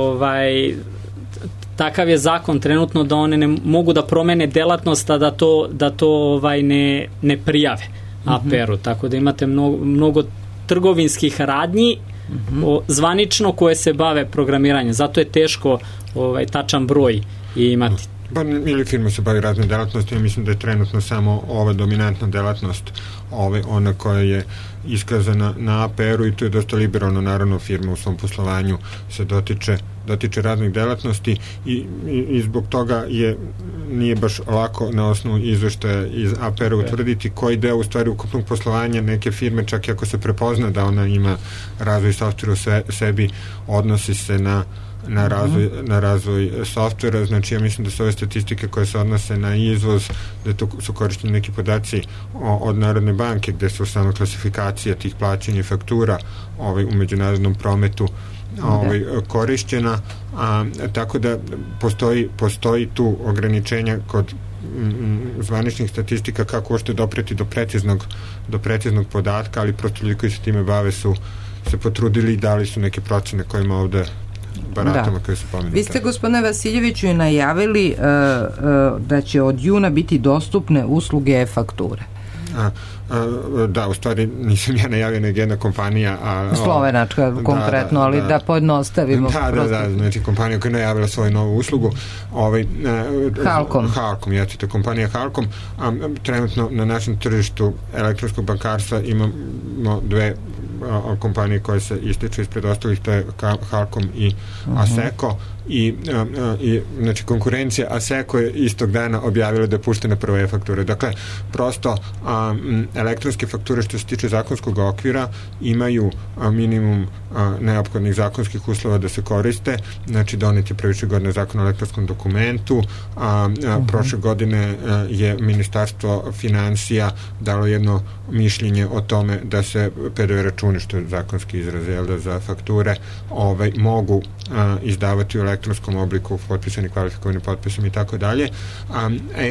takav je zakon trenutno da one ne mogu da promene delatnost, a da to ne prijave APR-u. Tako da imate mnogo trgovinskih radnji zvanično koje se bave programiranjem. Zato je teško tačan broj imati. Ili firma se bavi razne delatnosti, ja mislim da je trenutno samo ova dominantna delatnost ona koja je iskazana na APR-u i to je dosta liberalno, naravno firma u svom poslovanju se dotiče raznih delatnosti i zbog toga nije baš lako na osnovu izveštaja iz APR-a utvrditi koji deo u stvari ukupnog poslovanja neke firme, čak i ako se prepozna da ona ima razvoj softvera u sebi, odnosi se na razvoj softvera. Znači ja mislim da su ove statistike koje se odnose na izvoz, da to su korišteni neki podaci od Narodne banke gde su sama klasifikacija tih plaćanja i faktura u međunarodnom prometu korišćena, tako da postoji tu ograničenja kod zvaničnih statistika kako uopšte dopreti do preciznog podatka, ali prosto ljudi koji se time bave su se potrudili i dali su neke procene kojima ovde baratama koje su pomenute. Vi ste, gospodine Vasiljeviću, i najavili da će od juna biti dostupne usluge e-fakture. Da, u stvari nisam ja najavio nego jedna kompanija slovenačka konkretno, ali da pojednostavimo. Da, znači kompanija koja je najavila svoju novu uslugu, Halkom, jeste, kompanija Halkom. Trenutno na našem tržištu elektronskog bankarstva imamo dve kompanije koje se ističu ispred ostalih, to je Halkom i Asseco. I znači konkurencija Asseco je istog dana objavila da je puštena prva e-faktura. Dakle, prosto elektronske fakture što se tiče zakonskog okvira imaju minimum neophodnih zakonskih uslova da se koriste. Znači donet je previše godine zakon o elektronskom dokumentu. Prošle godine je Ministarstvo finansija dalo jedno mišljenje o tome da se PDV računi, što je zakonski izraz za fakture, mogu izdavati u elektronskom obliku potpisani kvalifikovanim potpisom i tako dalje.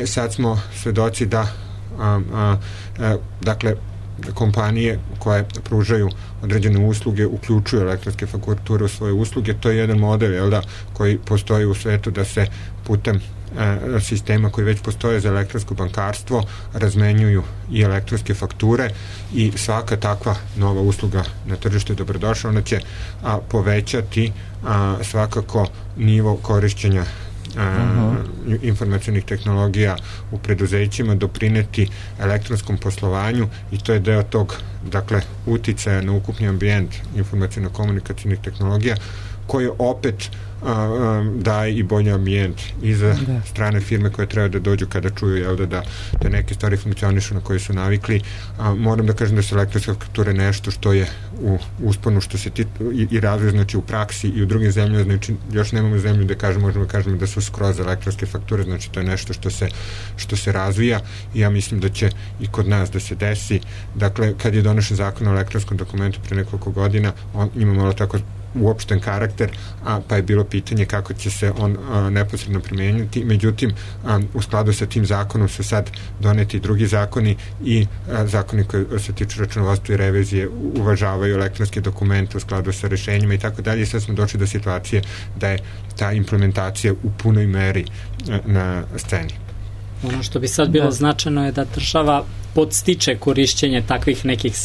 Sad smo svedoci da dakle kompanije koje pružaju određene usluge uključuju elektronske fakture u svoje usluge. To je jedan model koji postoji u svetu da se putem sistema koji već postoje za elektronsko bankarstvo razmenjuju i elektronske fakture i svaka takva nova usluga na tržištu je dobrodošla. Ona će povećati svakako nivo korišćenja informacionih tehnologija u preduzećima, doprineti elektronskom poslovanju i to je deo tog, dakle, uticaja na ukupni ambijent informacijno-komunikacijnih tehnologija, koje opet daje i bolji ambijent i za strane firme koje treba da dođu kada čuju da neke stvari funkcionišu na koje su navikli. Moram da kažem da su elektronske fakture nešto što je u usponu što se i razvoj, znači u praksi i u drugim zemljama, znači još nemamo zemlju da možemo da kažemo da su skroz elektronske fakture, znači to je nešto što se razvija i ja mislim da će i kod nas da se desi. Dakle, kad je donešen zakon o elektronskom dokumentu pre nekoliko godina, on ima malo tako uopšten karakter, pa je bilo pitanje kako će se on neposredno primenjati. Međutim, u skladu sa tim zakonom su sad doneti drugi zakoni i zakoni koji se tiču računovodstva i revizije uvažavaju elektronske dokumente u skladu sa rešenjima i tako dalje. Sad smo došli do situacije da je ta implementacija u punoj meri na sceni. Ono što bi sad bilo značajno je da država podstiče korišćenje takvih nekih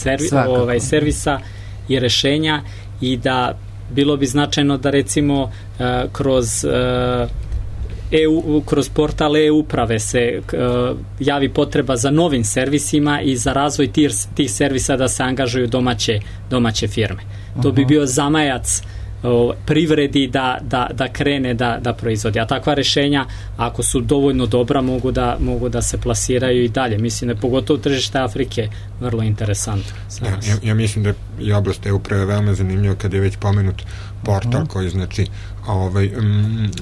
servisa i rešenja i da bilo bi značajno da recimo kroz portal e-uprave se javi potreba za novim servisima i za razvoj tih servisa da se angažuju domaće firme. To bi bio zamajac privredi da krene da proizvodi. A takva rešenja, ako su dovoljno dobra, mogu da se plasiraju i dalje. Mislim da je pogotovo tržište Afrike vrlo interesantno. Ja mislim da je i oblast e-uprave veoma zanimljiva kad je već pomenut portal koji znači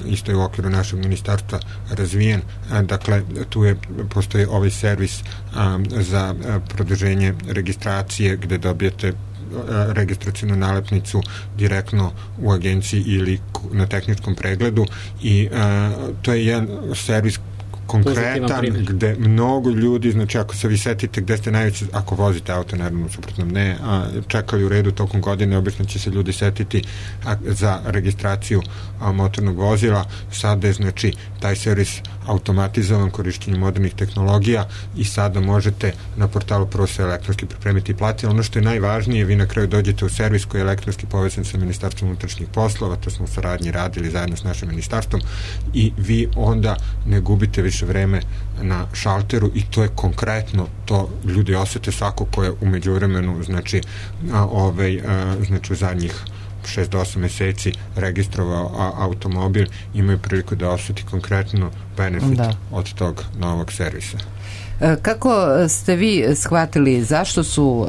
isto je u okviru našeg ministarstva razvijen. Dakle, tu postoji ovaj servis za produženje registracije gde dobijete registracijnu nalepnicu direktno u agenciji ili na tehničkom pregledu i to je jedan servis konkretan gde mnogo ljudi, znači ako se vi setite gde ste najveće, ako vozite auto, naravno suprotno ne, čekali u redu tokom godine, obično će se ljudi setiti za registraciju motornog vozila. Sada je znači taj servis automatizovan korišćenjem modernih tehnologija i sada možete na portalu prvo se elektronski pripremiti i platiti. Ono što je najvažnije, vi na kraju dođete u servis koji je elektronski povezan sa Ministarstvom unutrašnjih poslova, to smo u saradnji radili zajedno s našim ministarstvom i vi onda ne gubite više vreme na šalteru i to je konkretno, to ljudi osete svako ko je u međuvremenu znači u zadnjih 6 do 8 meseci registrovao automobil, imaju priliku da osjeti konkretno benefit od tog novog servisa. Kako ste vi shvatili zašto su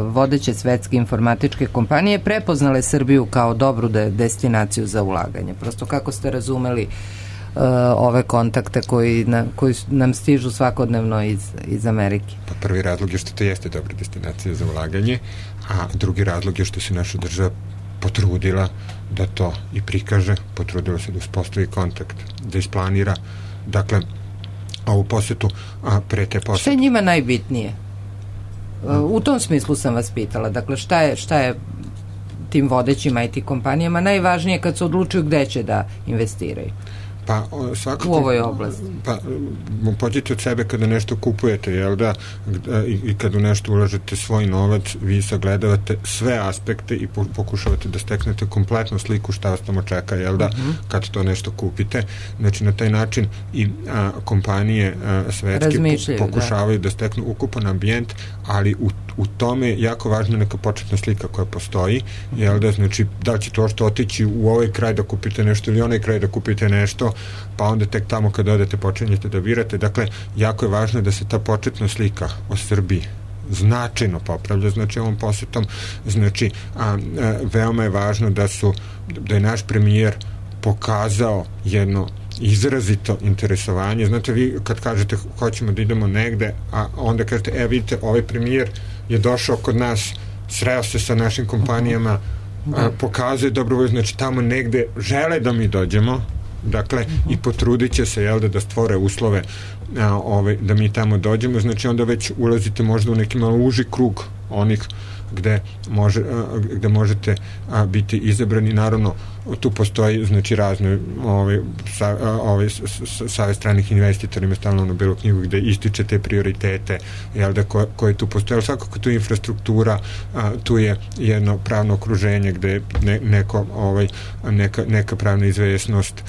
vodeće svetske informatičke kompanije prepoznale Srbiju kao dobru destinaciju za ulaganje? Prosto kako ste razumeli ove kontakte koji nam stižu svakodnevno iz Amerike? Pa prvi razlog je što to jeste dobra destinacija za ulaganje, a drugi razlog je što se naša država potrudila da to i prikaže, potrudila se da uspostavi kontakt, da isplanira, dakle, ovu posetu, a pre te posete. Šta je njima najbitnije? U tom smislu sam vas pitala, dakle, šta je tim vodećim IT kompanijama najvažnije kad se odlučuju gde će da investiraju? Pa, svakako, u ovoj oblasti. Pa, pođite od sebe kada nešto kupujete, jel da, i kada u nešto ulažete svoj novac, vi sagledavate sve aspekte i pokušavate da steknete kompletnu sliku šta vas tamo čeka, jel da, kad to nešto kupite. Znači, na taj način i kompanije svetske pokušavaju da steknu ukupan ambijent, ali u tome je jako važna neka početna slika koja postoji, jel da, znači, da li će to što otići u ovaj kraj da kupite nešto ili onaj kraj da kupite nešto, pa onda tek tamo kad odete počinjete da birate. Dakle, jako je važno da se ta početna slika o Srbiji značajno popravlja, znači ovom posetom, znači veoma je važno da je naš premijer pokazao jedno izrazito interesovanje. Znate, vi kad kažete hoćemo da idemo negde, a onda kažete, vidite, ovaj premijer je došao kod nas, sreo se sa našim kompanijama, pokazuje dobrovolju, znači tamo negde žele da mi dođemo, dakle, i potrudit će se, jel da stvore uslove da mi tamo dođemo, znači onda već ulazite možda u neki malo uži krug onih gde možete biti izabrani. Naravno, tu postoji, znači, razne savez stranih investitora ima stalno na belu knjigu gde ističe te prioritete, jel da, koje tu postoje, ali svakako tu je infrastruktura, tu je jedno pravno okruženje gde neka pravna izvesnost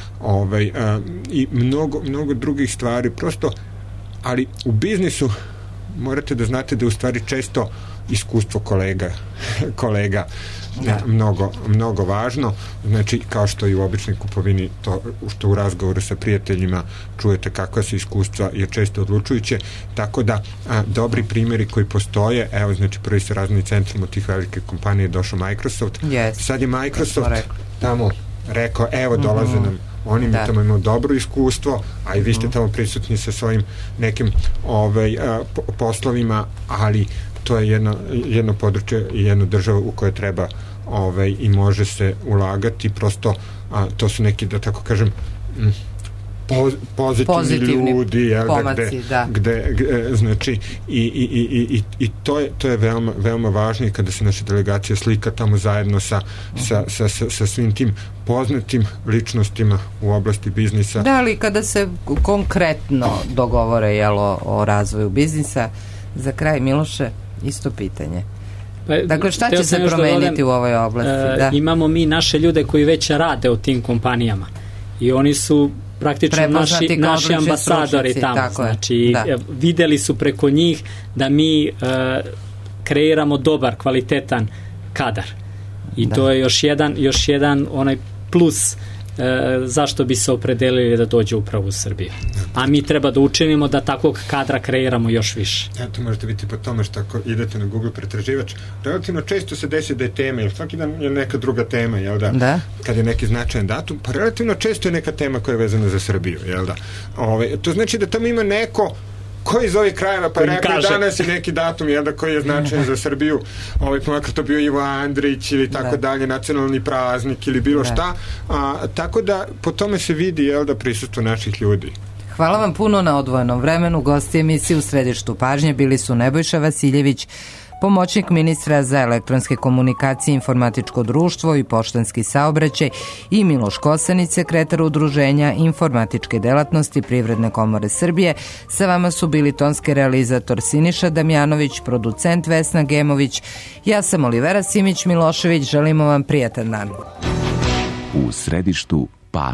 i mnogo drugih stvari, prosto, ali u biznisu morate da znate da u stvari često iskustvo kolega mnogo važno, znači kao što i u običnoj kupovini, to što u razgovoru sa prijateljima čujete kakva su iskustva je često odlučujuće, tako da dobri primjeri koji postoje, evo znači prvi se razvojni centrum od tih velike kompanije došao Microsoft, sad je Microsoft tamo rekao evo dolaze nam oni, mi tamo imamo dobro iskustvo, a i vi ste tamo prisutni sa svojim nekim poslovima, ali to je jedno područje i jedna država u kojoj treba i može se ulagati, prosto to su neki, da tako kažem, pozitivni ljudi, pomaci, gde znači i to je veoma važno, i kada se naša delegacija slika tamo zajedno sa svim tim poznatim ličnostima u oblasti biznisa. Da, ali kada se konkretno dogovore o razvoju biznisa, za kraj, Miloše, isto pitanje. Dakle, šta će se promeniti u ovoj oblasti? Imamo mi naše ljude koji već rade u tim kompanijama i oni su praktično naši ambasadori tamo. Znači, videli su preko njih da mi kreiramo dobar, kvalitetan kadar. I to je još jedan onaj plus zašto bi se opredelili da dođe upravo u Srbiju. A mi treba da učinimo da takvog kadra kreiramo još više. To možete biti po tome što ako idete na Google pretraživač, relativno često se desi da je tema, jer svaki dan je neka druga tema, jel da? Kad je neki značajan datum, pa relativno često je neka tema koja je vezana za Srbiju, jel da? To znači da tamo ima neko koji iz ovih krajeva, pa rekao danas je neki datum, jel da, koji je značajan za Srbiju, makar to bio Ivo Andrić ili tako dalje, nacionalni praznik ili bilo šta, tako da po tome se vidi, jel da, prisustvo naših ljudi. Hvala vam puno na odvojenom vremenu. Gosti emisije u središtu pažnje bili su Nebojša Vasiljević, pomoćnik ministra za elektronske komunikacije, informatičko društvo i poštanski saobraćaj, i Miloš Kosanić, sekretar Udruženja informatičke delatnosti Privredne komore Srbije. Sa vama su bili tonski realizator Siniša Damjanović, producent Vesna Gemović. Ja sam Olivera Simić Milošević. Želimo vam prijatan dan. U središtu pažnje.